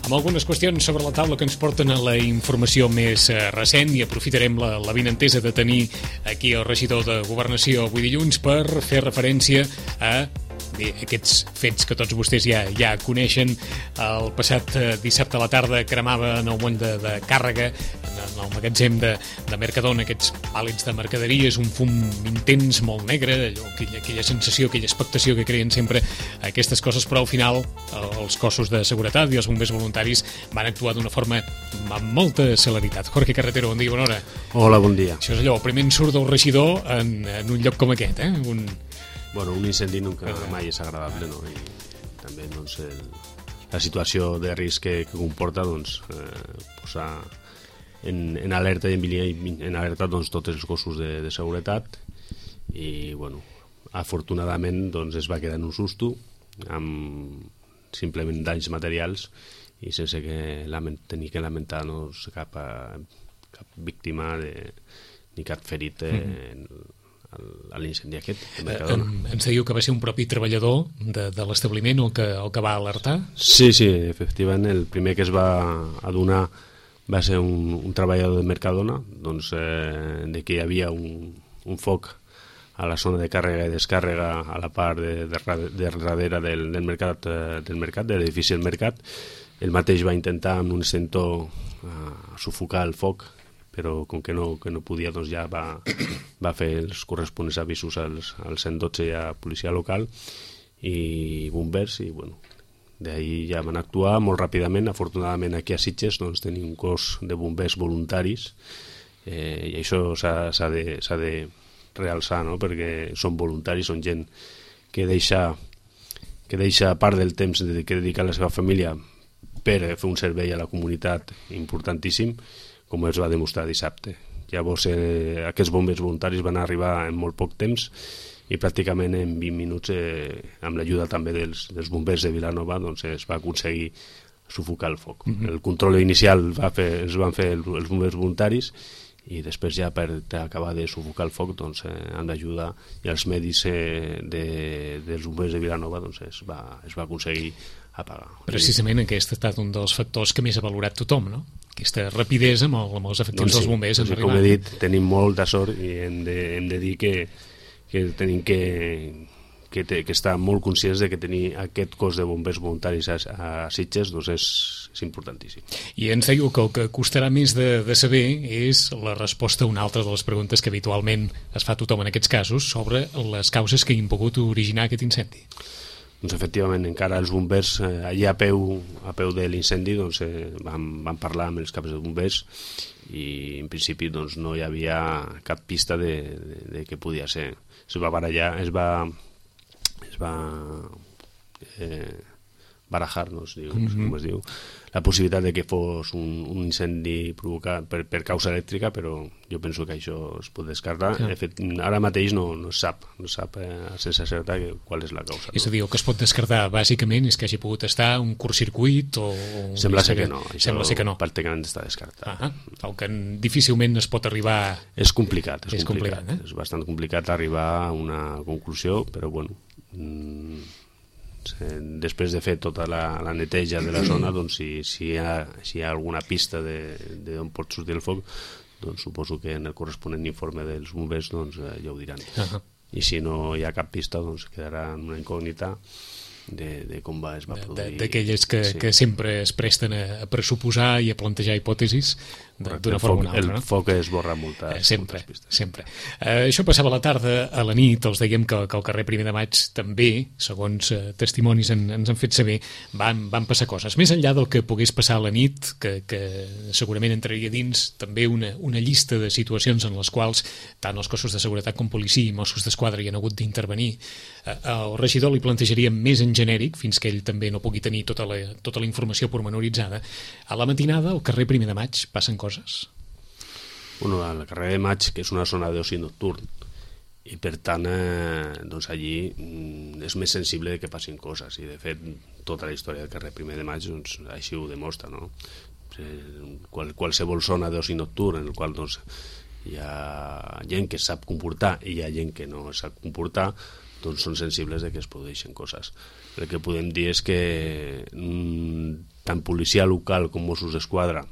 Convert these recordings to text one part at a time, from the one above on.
amb algunes qüestions sobre la taula que ens porten a la informació més recent, i aprofitarem l'avinentesa de tenir aquí el regidor de Governació avui dilluns per fer referència a aquests fets que tots vostès ja coneixen. El passat dissabte a la tarda cremava en el moll de càrrega, en el magatzem de Mercadona, aquests pàl·lets de mercaderies, un fum intens, molt negre, aquella sensació, aquella expectació que creen sempre aquestes coses, però al final els cossos de seguretat i els bombers voluntaris van actuar d'una forma amb molta celeritat. Jorge Carretero, bon dia, bona hora. Hola, bon dia. Això és allò, primer en surt el regidor en un lloc com aquest, Bueno, un incendi nunca mai és agradable, no? I també doncs, la situació de risc que comporta posar en alerta i en alerta doncs, tots els cossos de seguretat, i bueno, afortunadament doncs, es va quedar en un susto amb simplement danys materials i sense tenir que lamentar cap víctima ni cap ferit a l'incendi aquest de Mercadona. Ens diu que va ser un propi treballador de l'establiment el que va alertar? Sí, efectivament, el primer que es va adonar va ser un treballador de Mercadona, doncs, de que hi havia un foc a la zona de càrrega i descàrrega a la part de darrere del mercat, de l'edifici del mercat. El mateix va intentar amb un extintor sufocar el foc, però com que no podia, doncs ja va fer els corresponents avisos al 112 i a policia local i bombers, i bueno, d'ahir ja van actuar molt ràpidament. Afortunadament aquí a Sitges doncs, tenim un cos de bombers voluntaris, i això s'ha de realçar, no? Perquè són voluntaris, són gent que deixa part del temps que dedica a la seva família per fer un servei a la comunitat importantíssim, com es va demostrar dissabte. Llavors, aquests bombers voluntaris van arribar en molt poc temps i pràcticament en 20 minuts, amb l'ajuda també dels bombers de Vilanova, doncs es va aconseguir sufocar el foc. El control inicial els van fer els bombers voluntaris, i després ja per acabar de sufocar el foc, doncs, amb l'ajuda i els medis dels bombers de Vilanova, doncs es va aconseguir apagar. Precisament aquest ha estat un dels factors que més ha valorat tothom, no? Aquesta rapidesa amb els efectius dels bombers. Doncs, com he dit, tenim molta sort i hem de dir que tenim que estar molt conscients de que tenir aquest cos de bombers voluntaris a Sitges doncs és importantíssim. I ens diu que el que costarà més de saber és la resposta a una altra de les preguntes que habitualment es fa a tothom en aquests casos sobre les causes que han pogut originar aquest incendi. Doncs efectivament, encara els bombers allà a peu de l'incendi doncs, van parlar amb els caps de bombers, i en principi doncs, no hi havia cap pista de què podia ser. Es va barallar, es va barajar, no sé com es diu, la possibilitat de que fos un incendi provocat per causa elèctrica, però jo penso que això es pot descartar. De fet, ara mateix no es sap sense certa qual és la causa. És a dir, el que es pot descartar bàsicament és que hagi pogut estar un curtcircuit o... Sembla ser que no, això pràcticament està descartat. El que difícilment es pot arribar... És complicat. És bastant complicat arribar a una conclusió, però bueno... després de fer tota la neteja de la zona, doncs si hi ha alguna pista d'on pot sortir el foc, doncs suposo que en el corresponent informe dels bombers doncs, ja ho diran. I si no hi ha cap pista, doncs quedarà en una incògnita de com es va produir. D'aquelles que sempre es presten a pressuposar i a plantejar hipòtesis d'una forma o una altra. El foc esborra moltes pistes. Sempre. Això passava a la tarda. A la nit els dèiem que al carrer 1 de Maig també, segons testimonis ens han fet saber, van passar coses. Més enllà del que pogués passar a la nit, que segurament entraria dins també una llista de situacions en les quals tant els cossos de seguretat com policia i Mossos d'Esquadra hi han hagut d'intervenir. El regidor li plantejaria més en genèric, fins que ell també no pugui tenir tota la informació pormenoritzada. A la matinada, al carrer 1 de Maig, passen coses? Bueno, al carrer de Maig, que és una zona d'oci nocturn, i per tant doncs allí és més sensible que passin coses, i de fet tota la història del carrer 1 de Maig doncs, així ho demostra, no? Qualsevol zona d'oci nocturn en el qual doncs, hi ha gent que sap comportar i hi ha gent que no sap comportar, doncs són sensibles de que es produeixen coses. El que podem dir és que tant policia local com Mossos d'Esquadra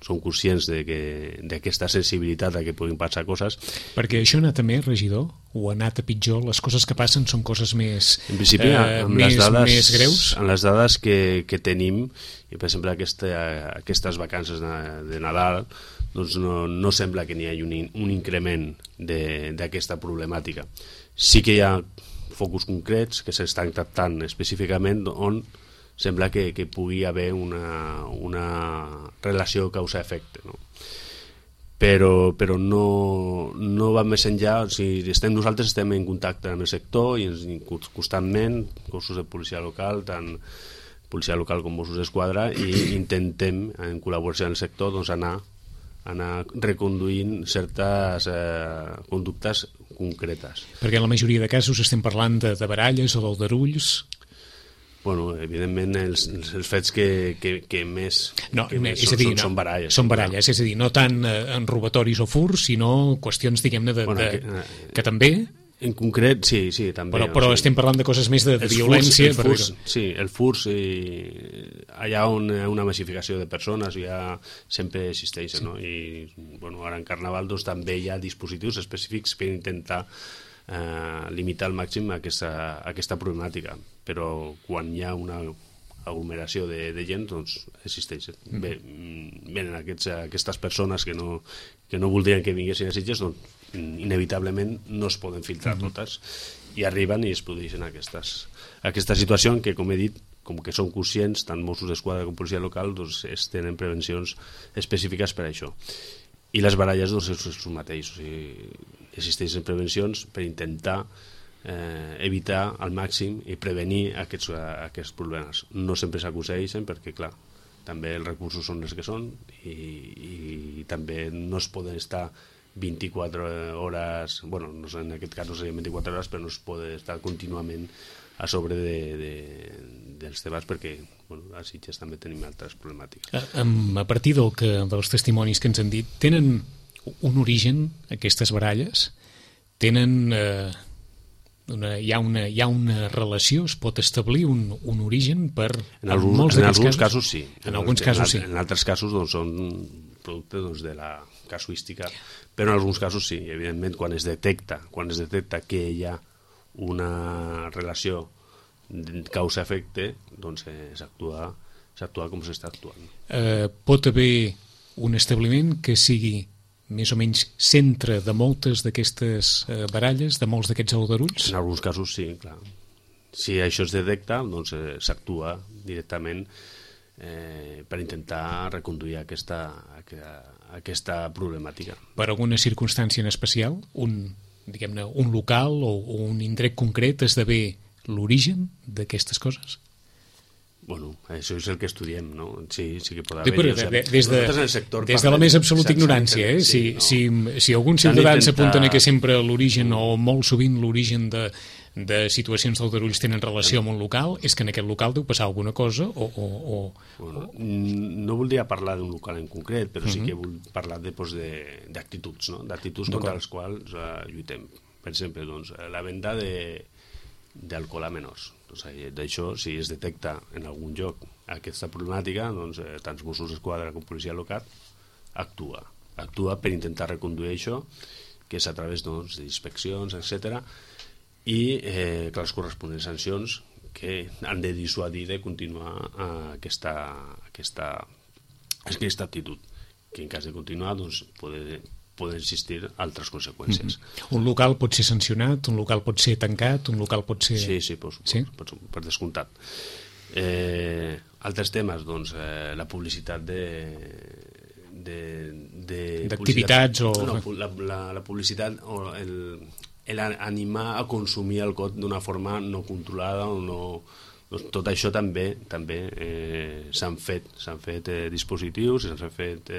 són conscients d'aquesta sensibilitat a que puguin passar coses. Perquè això ha anat a més, regidor? O ha anat a pitjor? Les coses que passen són coses més, en principi, més greus? En les dades que tenim, i per exemple aquestes vacances de Nadal, doncs no sembla que n'hi hagi un increment d'aquesta problemàtica. Sí que hi ha focus concrets que s'estan tractant específicament on sembla que pugui haver una relació causa-efecte, no? Però no va més enllà. O sigui, nosaltres estem en contacte amb el sector i constantment, cossos de policia local, tant policia local com Mossos d'Esquadra, i intentem, en col·laboració amb el sector, doncs anar reconduint certes conductes concretes. Perquè en la majoria de casos estem parlant de baralles o d'aldarulls. Bueno, evidentment els fets que més són baralles. Són baralles, és a dir, no tant en robatoris o furs, sinó qüestions, diguem-ne, que també... En concret, sí, també. Però estem parlant de coses més de violència. Sí, el furs, allà on hi ha una massificació de persones ja sempre existeix, no? I ara en Carnaval doncs, també hi ha dispositius específics per intentar limitar al màxim aquesta problemàtica, però quan hi ha una aglomeració de gent, doncs existeix. Venen aquestes persones que no voldrien que vinguessin a Sitges, doncs inevitablement no es poden filtrar totes, i arriben i es produeixen aquesta situació en què, com he dit, com que són conscients, tant Mossos d'Esquadra com policia local, doncs es tenen prevencions específiques per a això. I les baralles doncs, és el mateix. O sigui, existeixen prevencions per intentar evitar al màxim i prevenir aquests problemes. No sempre s'aconsegueixen perquè, clar, també els recursos són els que són i també no es poden estar 24 hores, bueno, en aquest cas no serien 24 hores, però no es pot estar contínuament a sobre dels debats perquè a Sitges també tenim altres problemàtiques. A partir dels testimonis que ens han dit, tenen un origen aquestes baralles? Tenen... hi ha una relació? Es pot establir un origen per... En alguns casos sí. En alguns casos sí. En altres casos doncs, són producte de la casuística, però en alguns casos sí. Evidentment, quan es detecta que hi ha una relació causa-efecte, doncs s'actua com s'està actuant. Pot haver un establiment que sigui més o menys centre de moltes d'aquestes baralles, de molts d'aquests aldarulls? En alguns casos sí, clar. Si això es detecta, doncs s'actua directament per intentar reconduir aquesta problemàtica. Per alguna circumstància en especial, un local o un indret concret esdevé l'origen d'aquestes coses? Bueno, això és el que estudiem, no? Sí que pot haver... Des de la més absoluta ignorància, si alguns ciutadans s'apunten que sempre l'origen, o molt sovint l'origen de situacions d'aldarulls tenen relació amb un local, és que en aquest local deu passar alguna cosa o... No voldria parlar d'un local en concret, però sí que vull parlar d'actituds, no? D'actituds contra les quals lluitem. Per exemple, la venda d'alcohol a menors. D'això, si es detecta en algun lloc aquesta problemàtica, doncs tant Mossos d'Esquadra com policia local actua per intentar reconduir això, que és a través d'inspeccions, etc. I les corresponents sancions que han de dissuadir de continuar aquesta actitud, que en cas de continuar doncs, poden existir altres conseqüències. Un local pot ser sancionat, un local pot ser tancat, un local pot ser... Sí, per descomptat. Altres temes, doncs, la publicitat d'activitats o... La publicitat o l'animar a consumir alcohol d'una forma no controlada o no... Doncs tot això també s'han fet dispositius i s'han fet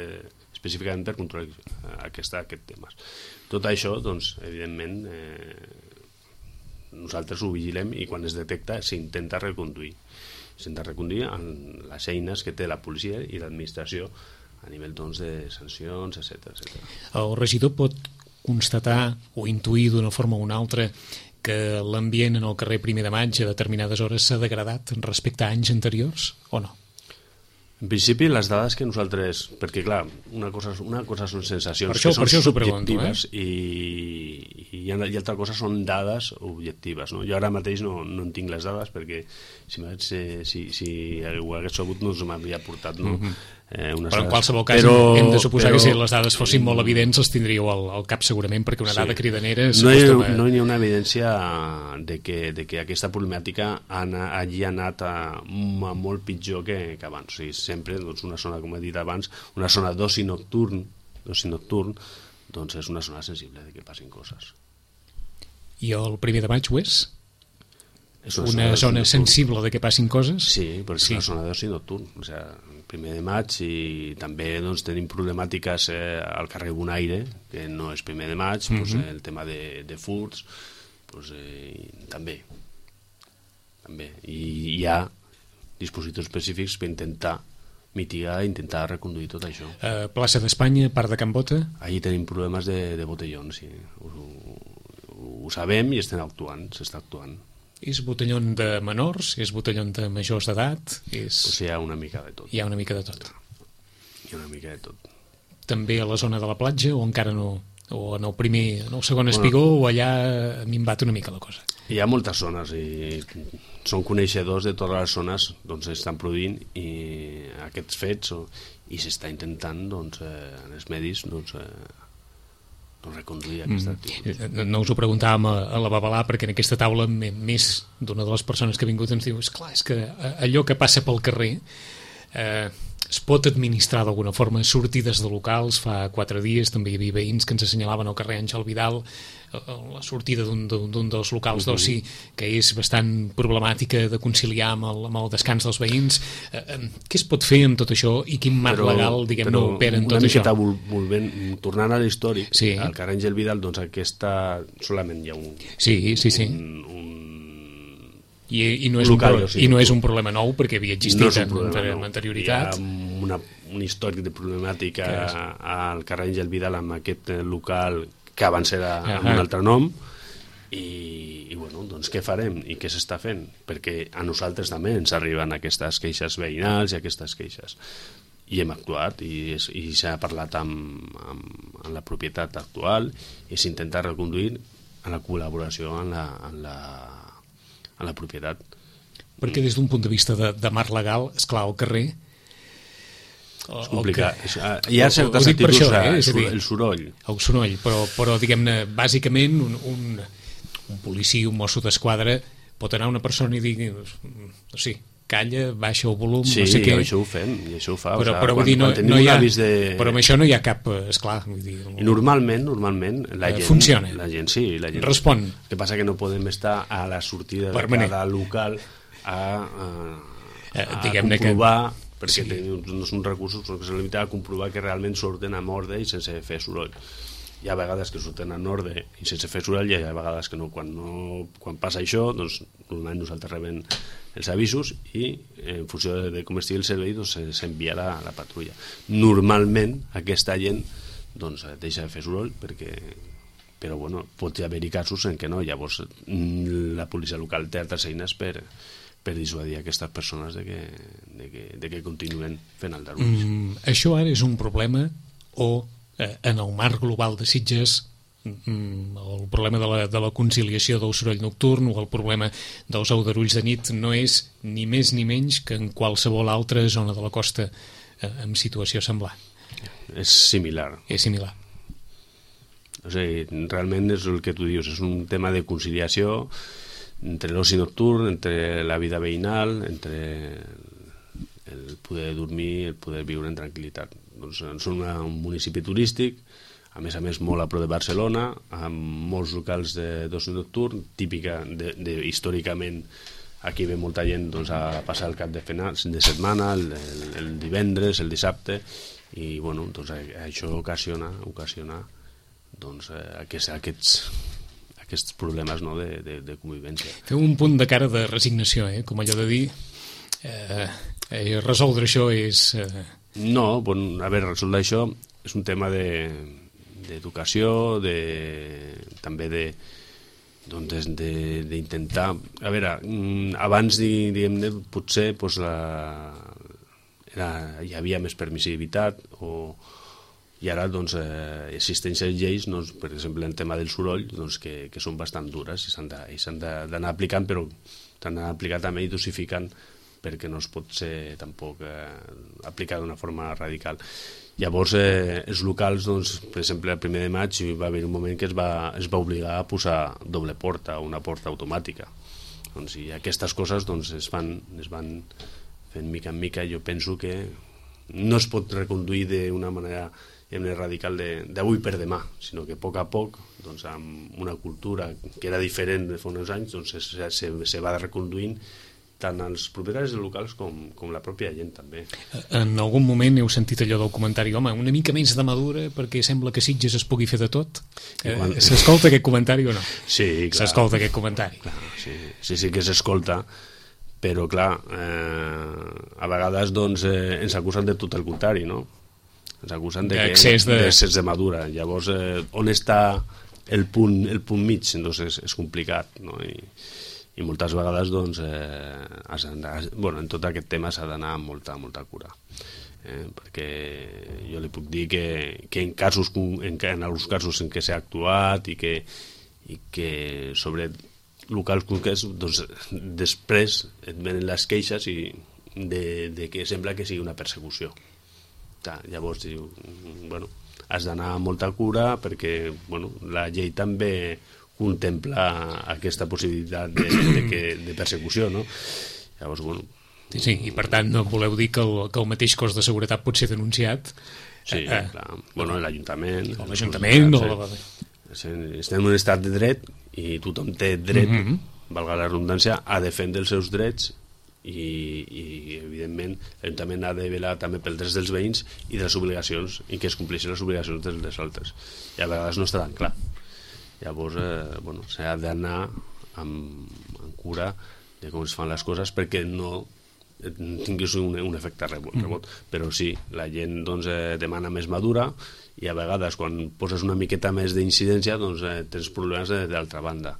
específicament per controlar aquests temes. Tot això, doncs, evidentment, nosaltres ho vigilem i quan es detecta s'intenta reconduir. S'intenta reconduir amb les eines que té la policia i l'administració a nivell de sancions, etc. El regidor pot constatar o intuir d'una forma o una altra que l'ambient en el carrer Primer de Maig a determinades hores s'ha degradat respecte a anys anteriors o no? En principi, les dades que nosaltres... Perquè, clar, una cosa són sensacions per això són subjectives i altra cosa són dades objectives. No? Jo ara mateix no en tinc les dades perquè si ho hagués sabut no m'hauria portat però en qualsevol cas hem de suposar que si les dades fossin molt evidents els tindríeu al cap segurament, perquè una dada cridanera no hi ha una evidència de que aquesta problemàtica hagi anat a molt pitjor que abans. O sigui, sempre una zona, com he dit abans, una zona d'oci nocturn doncs és una zona sensible de que passin coses. I el Primer de Maig ho és? És una zona sensible de que passin coses? Sí, però és una zona d'oci nocturn. O sigui, el Primer de Maig, i també tenim problemàtiques al carrer Bonaire, que no és Primer de Maig, el tema de furts, també. I hi ha dispositius específics per intentar mitigar i intentar reconduir tot això. Plaça d'Espanya, Parc de Can Bota? Allí tenim problemes de botellons, sí. Ho sabem i s'està actuant. És botellón de menors? És botellón de majors d'edat? Hi ha una mica de tot. Hi ha una mica de tot. També a la zona de la platja o encara no? O en el segon espigó o allà ha minvat una mica la cosa? Hi ha moltes zones i són coneixedors de totes les zones on s'estan produint i aquests fets i s'està intentant en els medis reconduir aquesta activitat. No us ho preguntàvem a la Babalà perquè en aquesta taula més d'una de les persones que ha vingut ens diu és que allò que passa pel carrer es pot administrar d'alguna forma, sortides de locals. Fa 4 dies també hi havia veïns que ens assenyalaven al carrer Àngel Vidal la sortida d'un dels locals d'oci que és bastant problemàtica de conciliar amb el descans dels veïns. Què es pot fer amb tot això i quin marc legal, diguem-ne, opera en tot això? Tornant a l'històric, sí. Al carrer Àngel Vidal, aquesta solament hi ha un... Sí. I no és un problema nou perquè havia existit amb anterioritat. Hi ha un històric de problemàtica al carrer Àngel Vidal amb aquest local que abans era amb un altre nom i doncs què farem i què s'està fent? Perquè a nosaltres també ens arriben aquestes queixes veïnals i aquestes queixes i hem actuat i s'ha parlat amb la propietat actual i s'intenta reconduir en la col·laboració en la propietat. Perquè des d'un punt de vista de marc legal, esclar, al carrer és complicat. Hi ha certes actituds, el soroll. El soroll, però diguem-ne, bàsicament un policia, un mosso d'esquadra pot anar a una persona i dir calla, baixa el volum, sí, no sé què. Això ho fem, i això ho fa. Però vull dir, no hi ha... Però amb això no hi ha cap... Esclar, vull dir... I normalment, la gent... Funciona. La gent sí, la gent... Respon. El que passa que no podem estar a la sortida de cada local a comprovar, perquè no són recursos que s'han limitat a comprovar que realment surten amb ordre i sense fer soroll. Hi ha vegades que surten en ordre i sense fer soroll, i hi ha vegades que no. Quan passa això, doncs normalment nosaltres rebem els avisos i en funció de com estigui el servei s'enviarà la patrulla. Normalment aquesta gent deixa de fer soroll però pot haver-hi casos en què no. Llavors la policia local té altres eines per dissuadir aquestes persones de que continuen fent el darwin. Això ara és un problema o en el marc global de Sitges el problema de la conciliació del soroll nocturn o el problema dels aldarulls de nit no és ni més ni menys que en qualsevol altra zona de la costa en situació semblant? És similar. O sigui, realment és el que tu dius, és un tema de conciliació entre l'oci nocturn, entre la vida veïnal, entre el poder dormir, el poder viure en tranquil·litat. Som un municipi turístic, a més molt a prop de Barcelona, amb molts locals d'oci nocturn, típica històricament aquí ve molta gent a passar el cap de setmana, el divendres, el dissabte, i això ocasiona aquests problemes de convivència. Feu un punt de cara de resignació, com allò de dir resoldre això és... No, resoldre això és un tema d'educació, també doncs d'intentar... A veure, abans, diguem-ne, potser doncs, hi havia més permissivitat i ara doncs, existeixen lleis, doncs, per exemple, en tema del soroll, doncs, que són bastant dures i s'han d'anar aplicant, però s'han d'anar aplicant també i dosificant perquè no es pot ser tampoc aplicar d'una forma radical. Llavors, els locals, doncs, per exemple, el 1 de maig va haver un moment que es va obligar a posar doble porta o una porta automàtica. Doncs, i aquestes coses doncs, es van fent mica en mica. Jo penso que no es pot reconduir d'una manera radical d'avui per demà, sinó que a poc, doncs, amb una cultura que era diferent de fa uns anys, doncs, se va reconduint tant els propietaris de locals com la pròpia gent també. En algun moment heu sentit allò del comentari, home, una mica menys de madura perquè sembla que Sitges es pugui fer de tot? S'escolta aquest comentari o no? Sí, clar. S'escolta aquest comentari? Clar, sí que s'escolta, però clar, a vegades doncs, ens acusen de tot el contrari, no? Ens acusen d'excés de madura. Llavors, on està el punt mig? Doncs és complicat, no? I moltes vegades doncs, en tot aquest tema s'ha d'anar amb molta cura, perquè jo li puc dir que en alguns casos en què s'ha actuat i que sobre locals concrets doncs, després et venen les queixes de que sembla que sigui una persecució. Llavors has d'anar amb molta cura perquè la llei també contempla aquesta possibilitat de persecució, no? Llavors, Sí, i per tant no voleu dir que el mateix cos de seguretat pot ser denunciat? Sí, clar. L'Ajuntament... L'Ajuntament... Estem en un estat de dret i tothom té dret, valga la redundància, a defendre els seus drets i evidentment l'Ajuntament ha de velar també pels drets dels veïns i de les obligacions i que es compleixin les obligacions dels altres. I a vegades no està tan clar. Llavors, s'ha d'anar amb cura de com es fan les coses perquè no tinguis un efecte rebot. Però sí, la gent doncs, demana més madura i a vegades quan poses una miqueta més d'incidència doncs, tens problemes d'altra banda.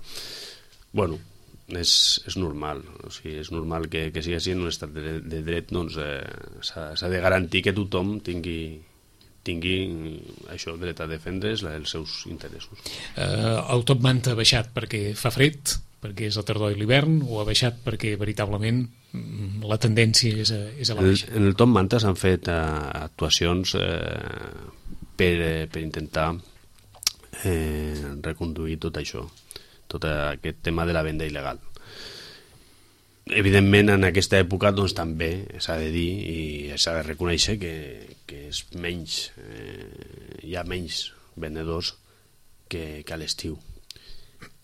És normal, o sigui, és normal que sigui així en un estat de dret, doncs s'ha de garantir que tothom tingui això, dret a defendre els seus interessos. El top manta ha baixat perquè fa fred, perquè és la tardor i l'hivern, o ha baixat perquè veritablement la tendència és a la baixa? En el top manta s'han fet actuacions per intentar reconduir tot això, tot aquest tema de la venda il·legal. Evidentment, en aquesta època doncs, també s'ha de dir i s'ha de reconèixer que és menys, hi ha menys venedors que a l'estiu.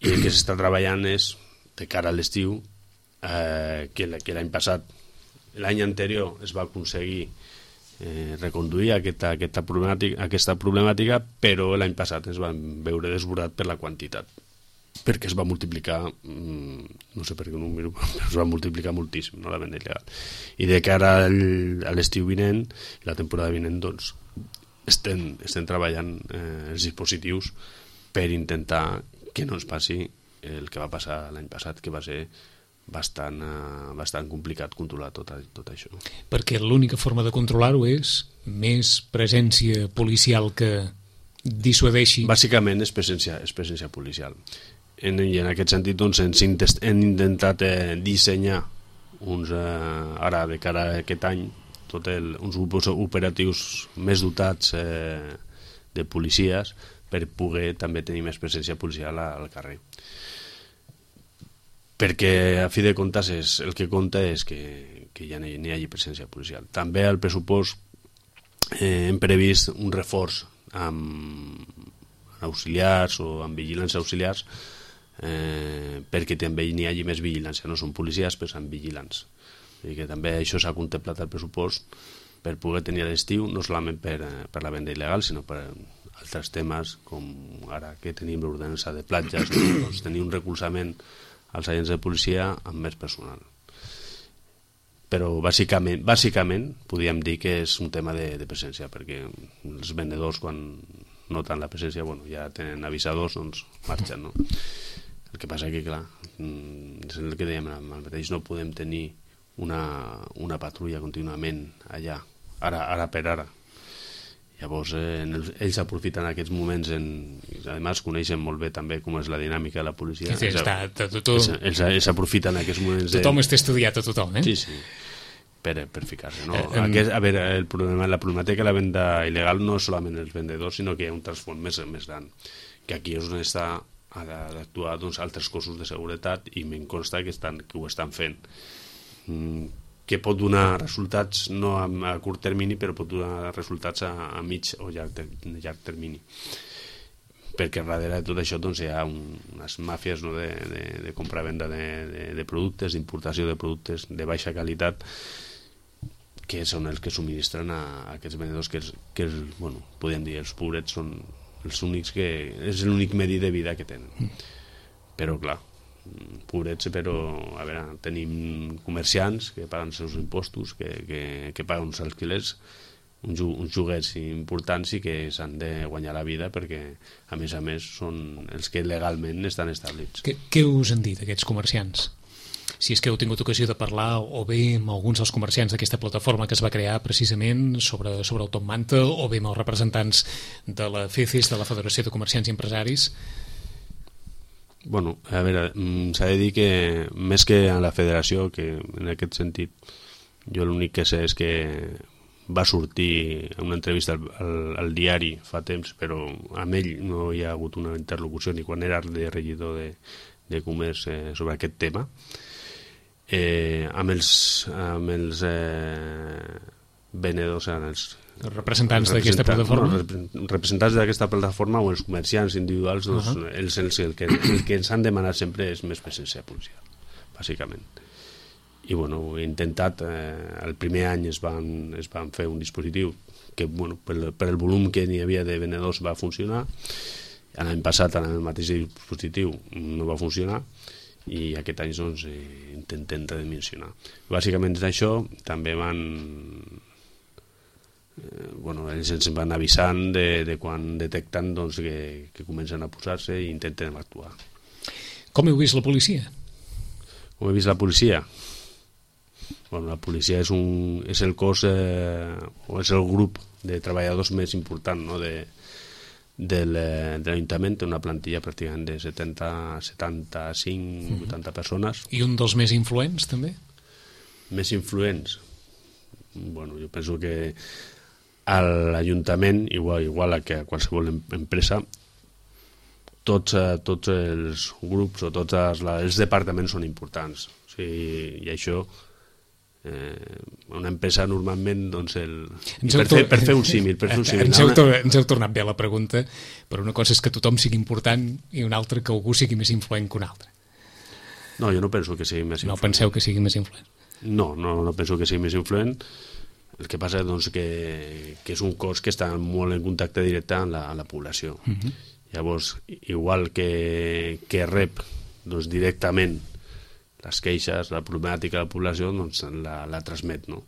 I el que s'està treballant és, de cara a l'estiu, que l'any passat, l'any anterior es va aconseguir reconduir aquesta problemàtica, però l'any passat es van veure desbordat per la quantitat, perquè es va multiplicar, no sé per què número, però es va multiplicar moltíssim, no, la venda il·legal. I de cara a l'estiu vinent, la temporada vinent, doncs, estem treballant els dispositius per intentar que no ens passi el que va passar l'any passat, que va ser bastant complicat controlar tot això. Perquè l'única forma de controlar-ho és més presència policial que dissuadeixi? Bàsicament és presència policial. I en aquest sentit doncs, hem intentat dissenyar ara de cara a aquest any uns grupos operatius més dotats de policies per poder també tenir més presència policial al carrer. Perquè a fi de comptes el que compta és que ja n'hi hagi presència policial. També al pressupost hem previst un reforç amb auxiliars o amb vigilants auxiliars perquè també n'hi hagi més vigilància. No són policies, però són vigilants. I que també això s'ha contemplat al pressupost per poder tenir a l'estiu, no solament per la venda il·legal, sinó per altres temes, com ara que tenim l'ordenança de platges, doncs tenir un recolzament als agents de policia amb més personal. Però bàsicament podríem dir que és un tema de presència, perquè els vendedors quan noten la presència ja tenen avisadors, doncs marxen, no? El que passa que, clar, és el que dèiem, el mateix no podem tenir una patrulla contínuament allà, ara per ara. Llavors, ells aprofiten aquests moments, i a més coneixen molt bé també com és la dinàmica de la policia. Sí, ells aprofiten aquests moments... Tothom està estudiat a tothom, eh? Sí, per ficar-se. No? A veure, la problemàtica de la venda il·legal no és solament els vendedors, sinó que hi ha un trasfons més gran, que aquí és on ha d'actuar altres cossos de seguretat, i me'n consta que ho estan fent, que pot donar resultats no a curt termini, però pot donar resultats a mig o llarg termini, perquè darrere de tot això hi ha unes màfies de compra-venda de productes, d'importació de productes de baixa qualitat, que són els que subministren a aquests venedors, que podem dir, els pobrets són els únics és l'únic medi de vida que tenen. Però clar, pobrets, però a veure, tenim comerciants que paguen els seus impostos, que paguen uns alquilers, uns lloguers importants, i que s'han de guanyar la vida, perquè a més són els que legalment estan establits. Què us han dit aquests comerciants? Si és que heu tingut ocasió de parlar o bé amb alguns dels comerciants d'aquesta plataforma que es va crear precisament sobre el Top Manta, o bé amb els representants de la FECES, de la Federació de Comerciants i Empresaris. Bueno, a veure, s'ha de dir que més que a la federació, que en aquest sentit jo l'únic que sé és que va sortir una entrevista al diari fa temps, però amb ell no hi ha hagut una interlocució ni quan era de regidor de comerç sobre aquest tema. Amb els venedors, els representants d'aquesta plataforma, representants d'aquesta plataforma o els comerciants individuals, el que ens han demanat sempre és més presència policial, bàsicament. I he intentat, el primer any es van fer un dispositiu que per el volum que n'hi havia de venedors va funcionar. L'any passat amb el mateix dispositiu no va funcionar, i aquest any intentem redimensionar. Bàsicament és això. També ells ens van avisant de quan detecten que comencen a posar-se, i intentem actuar. Com heu vist la policia? Com he vist la policia? La policia és el cos o és el grup de treballadors més important, no? de l'Ajuntament. Té una plantilla pràcticament de 75, 80 persones. I un dels més influents, també? Més influents? Jo penso que a l'Ajuntament, igual que a qualsevol empresa, tots els grups o tots els departaments són importants. I això, una empresa normalment, per fer un símil, ens heu tornat bé a la pregunta, però una cosa és que tothom sigui important i una altra que algú sigui més influent que un altre. No, jo no penso que sigui més influent. No penseu que sigui més influent? No penso que sigui més influent. El que passa que és un cos que està molt en contacte directe amb la població. Llavors, igual que rep directament les queixes, la problemàtica de la població, la transmet, no?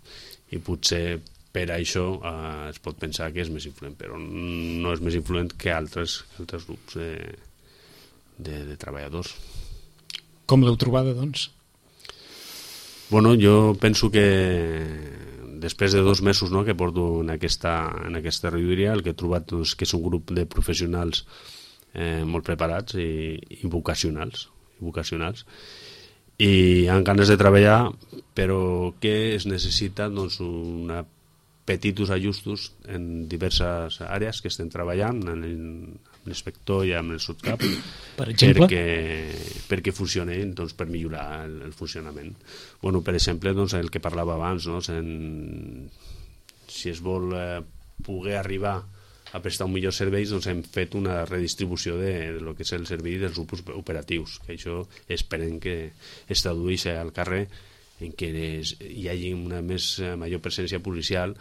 I potser per això es pot pensar que és més influent, però no és més influent que altres grups de treballadors. Com l'heu trobada, doncs? Jo penso que després de 2 mesos que porto en aquesta regidoria, el que he trobat que és un grup de professionals molt preparats i vocacionals, i amb ganes de treballar, però que es necessita petits ajustos en diverses àrees que estem treballant, amb l'inspector i amb el subcap, per exemple, perquè funcioni, per millorar el funcionament. Per exemple, el que parlava abans, si es vol poder arribar a prestar un millor servei, hem fet una redistribució de lo que és el servei dels grups operatius, que això esperem que es tradueixi al carrer en què hi hagi una major presència policial,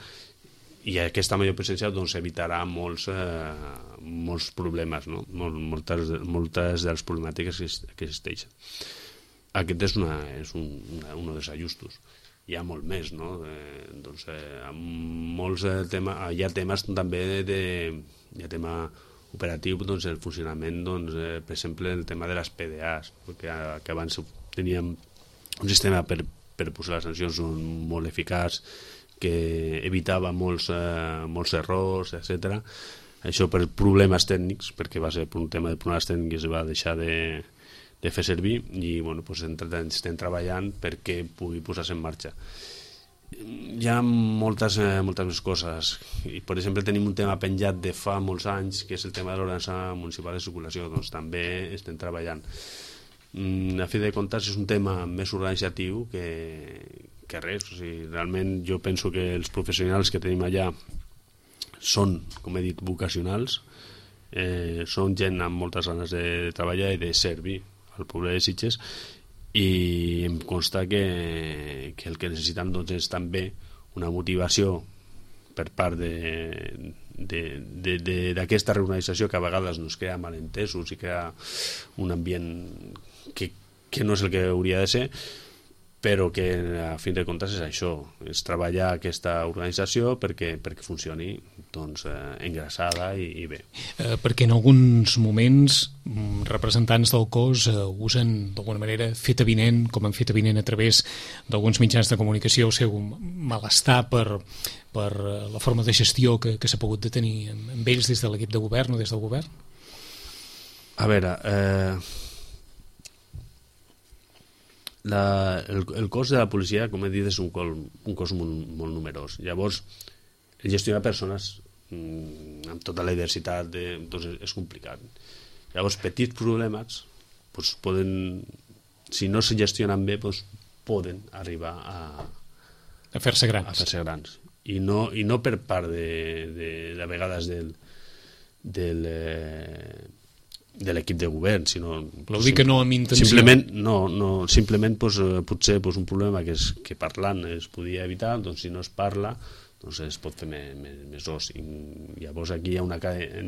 i aquesta major presència evitarà molts problemes, no? Moltes de les problemàtiques que existeixen. Aquest és un dels ajustos. Hi ha molt més, no? Hi ha temes també, hi ha tema operatiu doncs, el funcionament, doncs, per exemple, el tema de les PDAs, perquè que abans teníem un sistema per posar les sancions molt eficaç, que evitava molts errors, etc. Això per problemes tècnics, perquè va ser per un tema de problemes tècnics, va deixar de fer servir i bueno, doncs estem treballant perquè pugui posar-se en marxa. Hi ha moltes més coses. I, per exemple, tenim un tema penjat de fa molts anys, que és el tema de l'ordenança municipal de circulació. Doncs també estem treballant. A fi de comptes és un tema més organitzatiu que res. O sigui, realment jo penso que els professionals que tenim allà són, com he dit, vocacionals, són gent amb moltes ganes de treballar i de servir al poble de Sitges, i em consta que el que necessitem doncs, és també una motivació per part d'aquesta reorganització, que a vegades nos crea malentesos i crea un ambient que no és el que hauria de ser, però que a fin de comptes és això, és treballar aquesta organització perquè funcioni doncs, engraçada i bé. Perquè en alguns moments representants del cos usen d'alguna manera fet avinent, com han fet avinent a través d'alguns mitjans de comunicació, el seu malestar per la forma de gestió que s'ha pogut detenir amb ells des de l'equip de govern o des del govern? A veure, el cos de la policia, com he dit, és un cos molt numerós. Llavors, gestionar persones amb tota la diversitat doncs és complicat. Llavors, petits problemes doncs poden, si no se gestionen bé, doncs poden arribar a fer-se grans. I no per part de vegades de l'equip de govern, sinó... Vol dir que no amb intenció. Simplement potser un problema que parlant es podia evitar, doncs si no es parla doncs es pot fer més os. I llavors aquí hi ha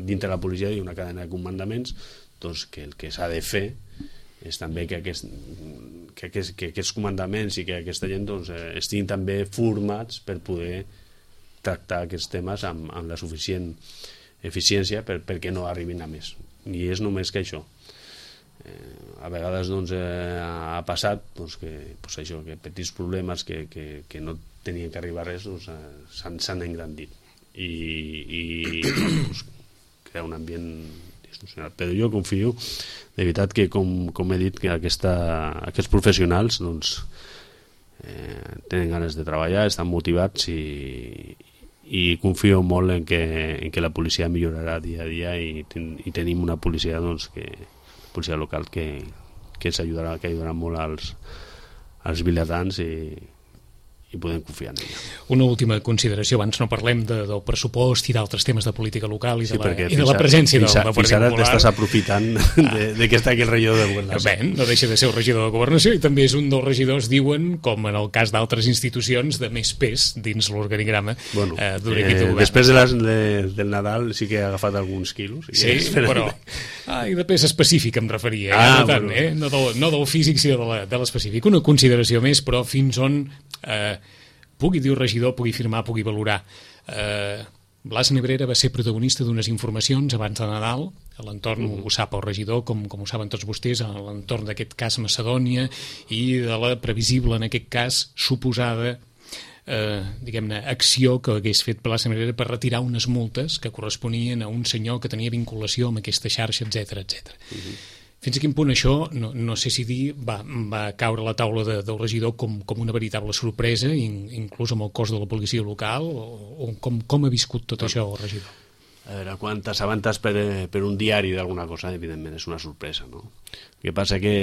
dintre la policia hi ha una cadena de comandaments, doncs que el que s'ha de fer és també que aquests comandaments i que aquesta gent doncs, estiguin també formats per poder tractar aquests temes amb la suficient eficiència perquè no arribin a més. I és només que això. A vegades doncs, ha passat doncs, que petits problemes que no tenien que arribar a res doncs, s'han engrandit i doncs, crea un ambient disfuncional. Però jo confio de veritat que com he dit que aquests professionals doncs, tenen ganes de treballar, estan motivats i confio molt en que la policia millorarà dia a dia i tenim una policia doncs, policia local que ens ajudarà molt als vilatans i podem confiar en ella. Una última consideració, abans no parlem del pressupost i d'altres temes de política local i de la presència del Partit Popular. Fins ara t'estàs aprofitant de que està aquí el regidor de Governació. Bé, no deixa de ser el regidor de Governació i també és un dels regidors, diuen, com en el cas d'altres institucions, de més pes dins l'organigrama d'un equip de govern. Després del Nadal sí que he agafat alguns quilos. Sí, però... I de pes específic em referia, no tant, no del físic, sinó de l'específic. Una consideració més, però fins on... pugui dir el regidor, pugui firmar, pugui valorar. Blas Nebrera va ser protagonista d'unes informacions abans de Nadal, a l'entorn, ho sap el regidor, com ho saben tots vostès, a l'entorn d'aquest cas Macedònia i de la previsible, en aquest cas, suposada diguem-ne, acció que hagués fet Blas Nebrera per retirar unes multes que corresponien a un senyor que tenia vinculació amb aquesta xarxa, etc. Fins a quin punt això, no sé si dir, va caure a la taula del regidor com una veritable sorpresa, inclús amb el cos de la policia local, o com ha viscut tot això el regidor? A veure, quan t'assabentas per un diari d'alguna cosa, evidentment és una sorpresa, no? El que passa que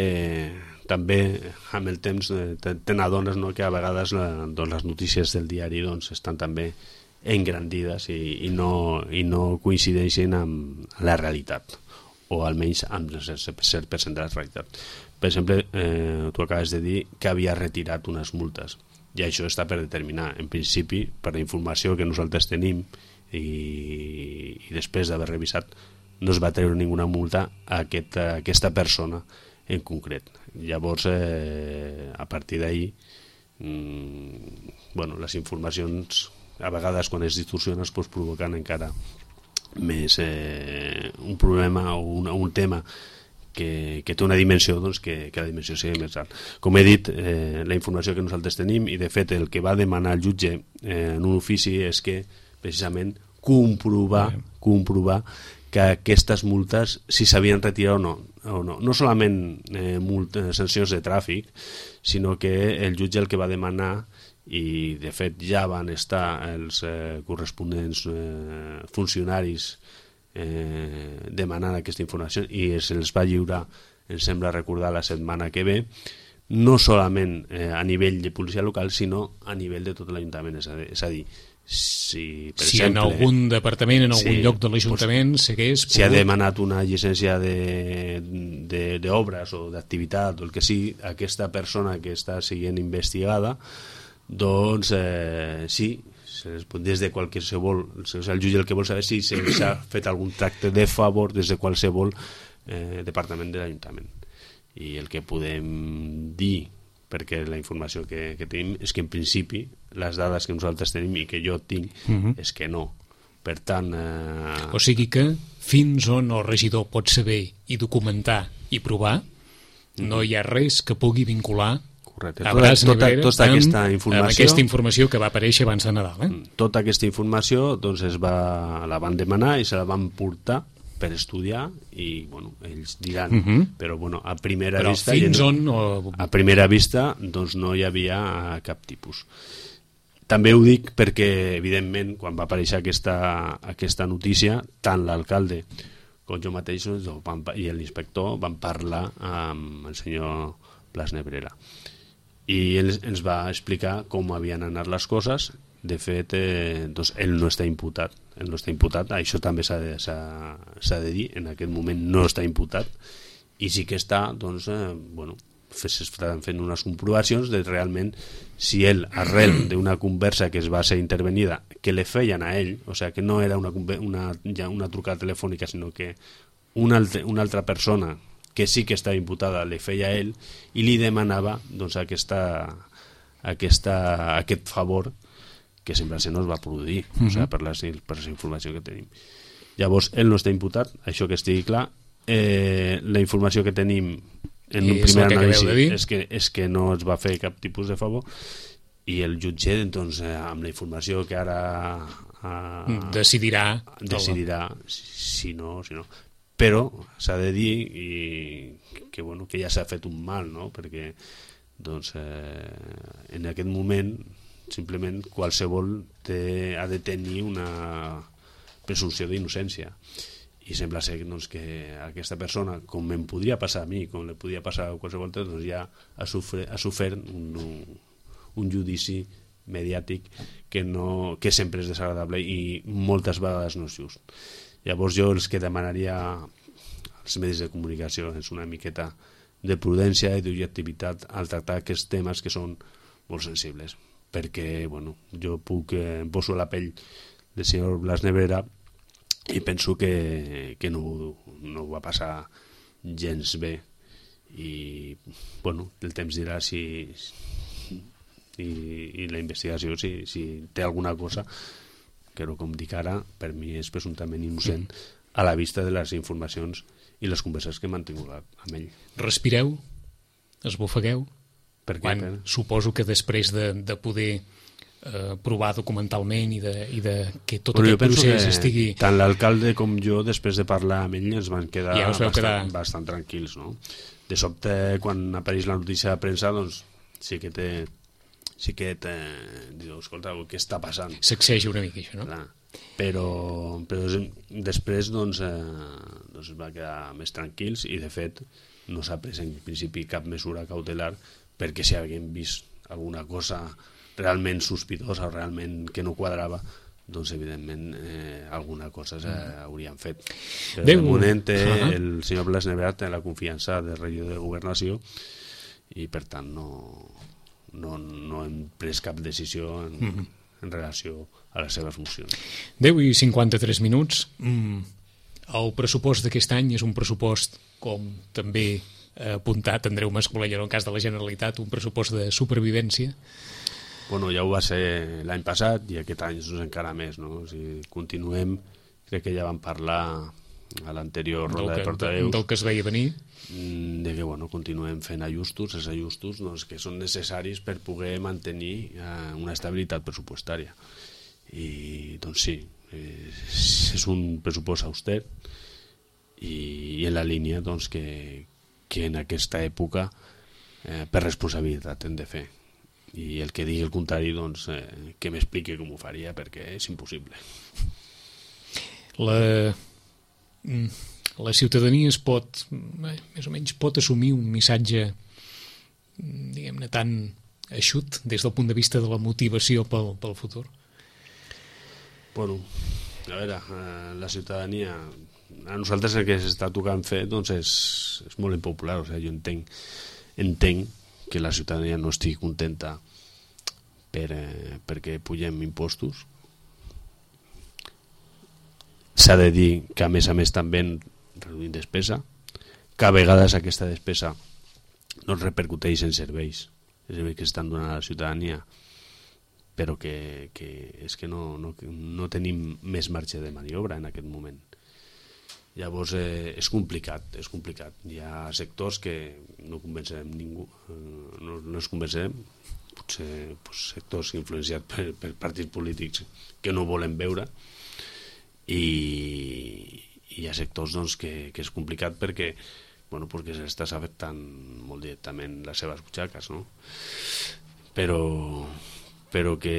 també amb el temps te n'adones que a vegades les notícies del diari estan també engrandides i no coincideixen amb la realitat, o almenys amb el 100% de la realitat. Per exemple, tu acabes de dir que havia retirat unes multes, i això està per determinar. En principi, per la informació que nosaltres tenim i després d'haver revisat, no es va treure ninguna multa a aquesta persona en concret. Llavors, a partir d'ahí, les informacions, a vegades quan es distorsionen, provoquen encara un problema o un tema que té una dimensió, doncs que la dimensió sigui més alt. Com he dit, la informació que nosaltres tenim, i de fet el que va demanar el jutge en un ofici és que precisament comprovar que aquestes multes, si s'havien retirat o no. No solament sancions de tràfic, sinó que el jutge el que va demanar, i de fet ja van estar els corresponents funcionaris demanant aquesta informació i se'ls va lliurar, em sembla recordar, la setmana que ve, no solament a nivell de policia local, sinó a nivell de tot l'Ajuntament. És a dir, si per exemple, en algun departament, en algun lloc de l'Ajuntament s'hagués pogut... Si ha demanat una llicència d'obres o d'activitat o el que sigui, aquesta persona que està sent investigada, doncs sí, des de qualsevol, el jutge el que vol saber si s'ha fet algun tracte de favor des de qualsevol departament de l'Ajuntament. I el que podem dir, perquè la informació que tenim és que en principi les dades que nosaltres tenim i que jo tinc és que no. Per tant... O sigui que fins on el regidor pot saber i documentar i provar, no hi ha res que pugui vincular a Bras Nebrera amb aquesta informació que va aparèixer abans de Nadal. Tota aquesta informació doncs, la van demanar i se la van portar per estudiar i bueno, ells diran, però bueno, a primera vista a primera vista doncs no hi havia cap tipus. També ho dic perquè evidentment quan va aparèixer aquesta notícia, tant l'alcalde com jo mateix i l'inspector van parlar amb el senyor Blas Nebrera i ens va explicar com havien anat les coses. De fet, doncs, ell no està imputat. Això també s'ha de dir, en aquest moment no està imputat, i sí que està, doncs, s'estan fent unes comprovacions de realment si ell, arrel d'una conversa que es va ser intervenida, que le feien a ell, o sigui, que no era una trucada telefònica, sinó que una altra persona que sí que estava imputada le feia a ell i li demanava doncs, aquest favor que sembla ser no es va produir, o sigui, per la informació que tenim. Llavors, ell no està imputat, això que estigui clar. La informació que tenim en un primer anàlisi és que no es va fer cap tipus de favor i el jutge, doncs, amb la informació que ara decidirà si no. Però s'ha de dir que ja s'ha fet un mal, no? Perquè doncs, en aquest moment simplement qualsevol ha de tenir una presumpció d'innocència i sembla ser doncs, que aquesta persona, com em podria passar a mi, com li podria passar a qualsevol altre, doncs ja ha sofert un judici mediàtic que sempre és desagradable i moltes vegades no és just. Llavors jo els que demanaria als medis de comunicació és una miqueta de prudència i d'objectivitat al tractar aquests temes que són molt sensibles, perquè jo em poso a la pell del senyor Blas Nebrera i penso que no va passar gens bé i el temps dirà si i la investigació si té alguna cosa que com dic ara per mi és presumptament innocent a la vista de les informacions i les converses que he mantingut amb ell. Respireu? Esbufegueu? Quan suposo que després de poder provar documentalment i de que tot aquest procés estigui... Tant l'alcalde com jo, després de parlar amb ell, ens van quedar bastant tranquils, no? De sobte, quan apareix la notícia de premsa, doncs sí que diu, escolta, què està passant? Sacseja una mica, això, no? Clar. Però després doncs va quedar més tranquils i de fet no s'ha pres en principi cap mesura cautelar perquè si haguem vist alguna cosa realment sospitosa o realment que no quadrava, doncs evidentment alguna cosa hauríem fet. Però de moment el senyor Blas Nebrera té la confiança del regidor de Governació i per tant no hem pres cap decisió en relació a les seves mocions. 10:53 minuts. El pressupost d'aquest any és un pressupost, com també ha apuntat Andreu Mascolell en el cas de la Generalitat, un pressupost de supervivència? Ja ho va ser l'any passat i aquest any és encara més, no? O sigui, continuem crec que ja vam parlar a l'anterior ronda de portaveus del que es veia venir, de que continuem fent ajustos, els ajustos que són necessaris per poder mantenir una estabilitat pressupostària. I doncs sí, és un pressupost auster i en la línia que en aquesta època per responsabilitat hem de fer. I el que digui el contrari, que m'expliqui com ho faria, perquè és impossible. La ciutadania es pot, més o menys, pot assumir un missatge, diguem-ne, tan eixut des del punt de vista de la motivació pel futur? Bueno, a veure, la ciutadania, a nosaltres el que s'està tocant fer és molt impopular. O sigui, jo entenc que la ciutadania no estigui contenta perquè pugem impostos. S'ha de dir que a més també reduïm despesa, que a vegades aquesta despesa no es repercuteix en serveis que estan donant a la ciutadania, però que és que no tenim més marge de maniobra en aquest moment. Llavors és complicat. Hi ha sectors que no convencerem ningú, no es convencerem, potser sectors influenciats per partits polítics que no volen veure, i hi ha sectors que és complicat perquè s'estàs afectant molt directament les seves butxaques, no? Però que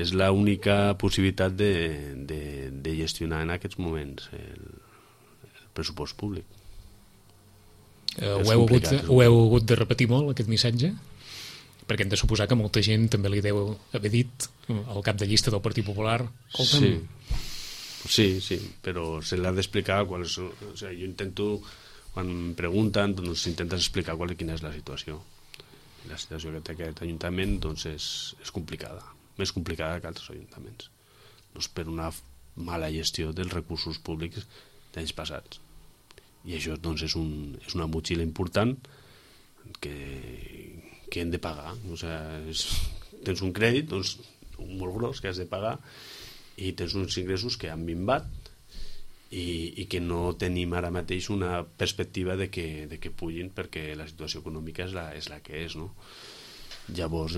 és l'única possibilitat de gestionar en aquests moments el pressupost públic. Ho heu hagut de repetir molt, aquest missatge? Perquè hem de suposar que molta gent també li deu haver dit al cap de llista del Partit Popular. Sí, però se l'ha d'explicar. O sigui, jo intento, quan em pregunten, intentes explicar quina és la situació. La situació que té aquest ajuntament és complicada, més complicada que altres ajuntaments, per una mala gestió dels recursos públics d'anys passats. I això és una motxilla important que hem de pagar. O sigui, tens un crèdit molt gros que has de pagar i tens uns ingressos que han minvat i que no tenim ara mateix una perspectiva de que pugin, perquè la situació econòmica és la que és, no? Llavors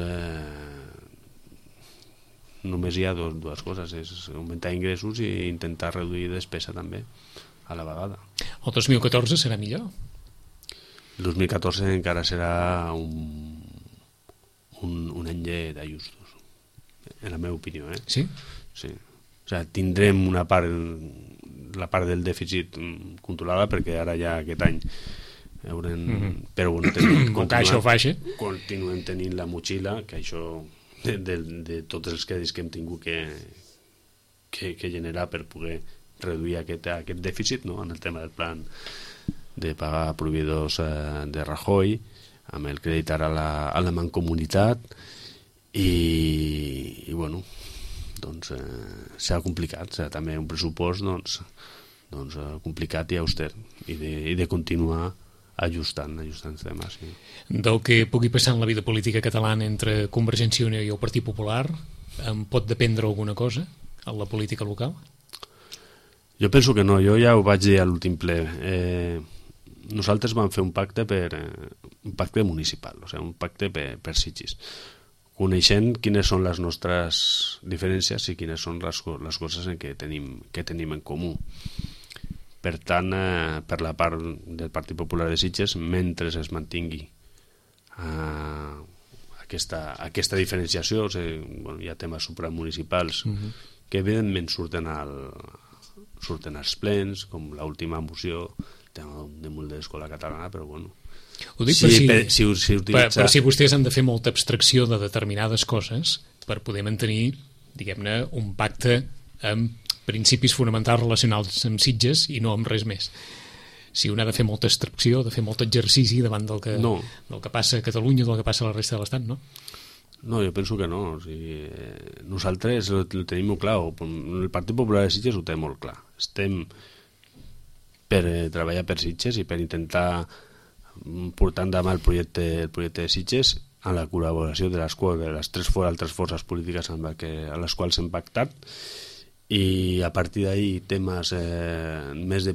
només hi ha dues coses, és augmentar ingressos i intentar reduir despesa també a la vegada. El 2014 serà millor? El 2014 encara serà un any d'ajustos, en la meva opinió, Sí? Sí. O sigui, tindrem la part del dèficit controlada, perquè ara ja aquest any però continuem tenint la motxilla, que això de tots els crèdits que hem tingut que generar per poder reduir aquest dèficit, no? En el tema del plan de pagar proveïdors de Rajoy, amb el crèdit ara a la Mancomunitat, i bueno, s'ha complicat, serà també un pressupost complicat i auster, i de continuar ajustant temes. Sí. Del que pugui passar en la vida política catalana entre Convergència i Unió i el Partit Popular, en pot dependre alguna cosa a la política local? Jo penso que no, jo ja ho vaig dir a l'últim ple. Nosaltres vam fer un pacte municipal, o sigui, un pacte per Sitges, coneixent quines són les nostres diferències i quines són les coses que tenim en comú. Per tant, per la part del Partit Popular de Sitges, mentre es mantingui aquesta diferenciació, o sigui, hi ha temes supramunicipals que evidentment surten als plens, com l'última moció, el tema de l'escola catalana, però bueno, ho dic per si vostès han de fer molta abstracció de determinades coses per poder mantenir, diguem-ne, un pacte amb principis fonamentals relacionals amb Sitges i no amb res més. Si un ha de fer molta abstracció, de fer molt exercici davant del que passa a Catalunya, del que passa a la resta de l'Estat, no? No, jo penso que no. O sigui, nosaltres ho tenim molt clar. El Partit Popular de Sitges ho té molt clar. Estem per treballar per Sitges i per intentar portar endavant el projecte de Sitges amb la col·laboració de les tres altres forces polítiques a les quals hem pactat, i a partir d'ahir temes més de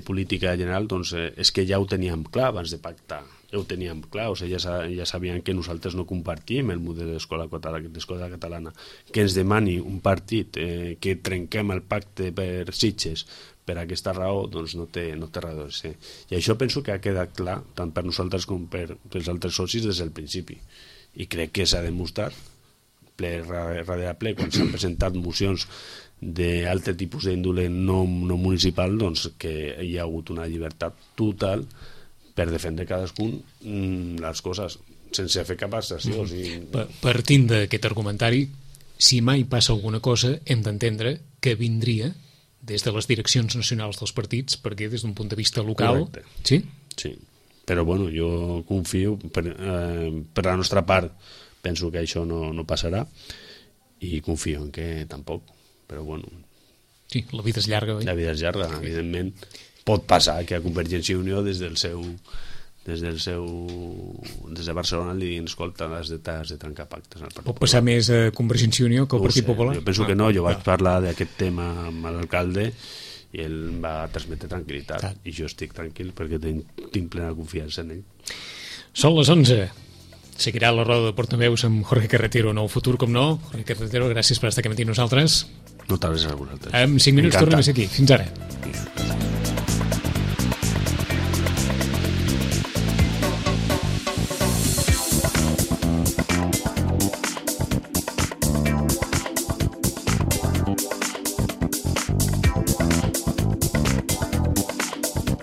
política general, doncs és que ja ho teníem clar abans de pactar, ja ho teníem clar, o sigui, ja sabien que nosaltres no compartim el model d'escola catalana, que ens demani un partit que trenquem el pacte per Sitges per aquesta raó, doncs no té raó de ser. I això penso que ha quedat clar tant per nosaltres com per els altres socis des del principi, i crec que s'ha demostrat ple darrere ple, quan s'han presentat mocions d'altre tipus d'índole no municipal, doncs que hi ha hagut una llibertat total per defendre cadascun les coses, sense fer cap asserció. Partint d'aquest argumentari, si mai passa alguna cosa, hem d'entendre que vindria des de les direccions nacionals dels partits, perquè des d'un punt de vista local... Correcte. Sí? Sí, però bueno, jo confio, per la nostra part, penso que això no passarà, i confio en que tampoc, però bueno... Sí, la vida és llarga, oi? La vida és llarga, evidentment. Pot passar que a Convergència i Unió des de Barcelona li diguin, escolta, has de trencar pactes. Pot passar més a Convergència i Unió que al Partit Popular? Jo penso que no, jo vaig parlar d'aquest tema amb l'alcalde i ell va transmetre tranquil·litat, i jo estic tranquil perquè tinc plena confiança en ell. Són les 11. Seguirà la roda de portaveus amb Jorge Carretero en el futur, com no. Jorge Carretero, gràcies per estar aquí amb nosaltres. Moltes gràcies a vosaltres. En 5 minuts tornem a ser aquí. Fins ara.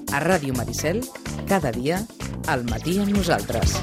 A Ràdio Maricel, cada dia, al matí amb nosaltres.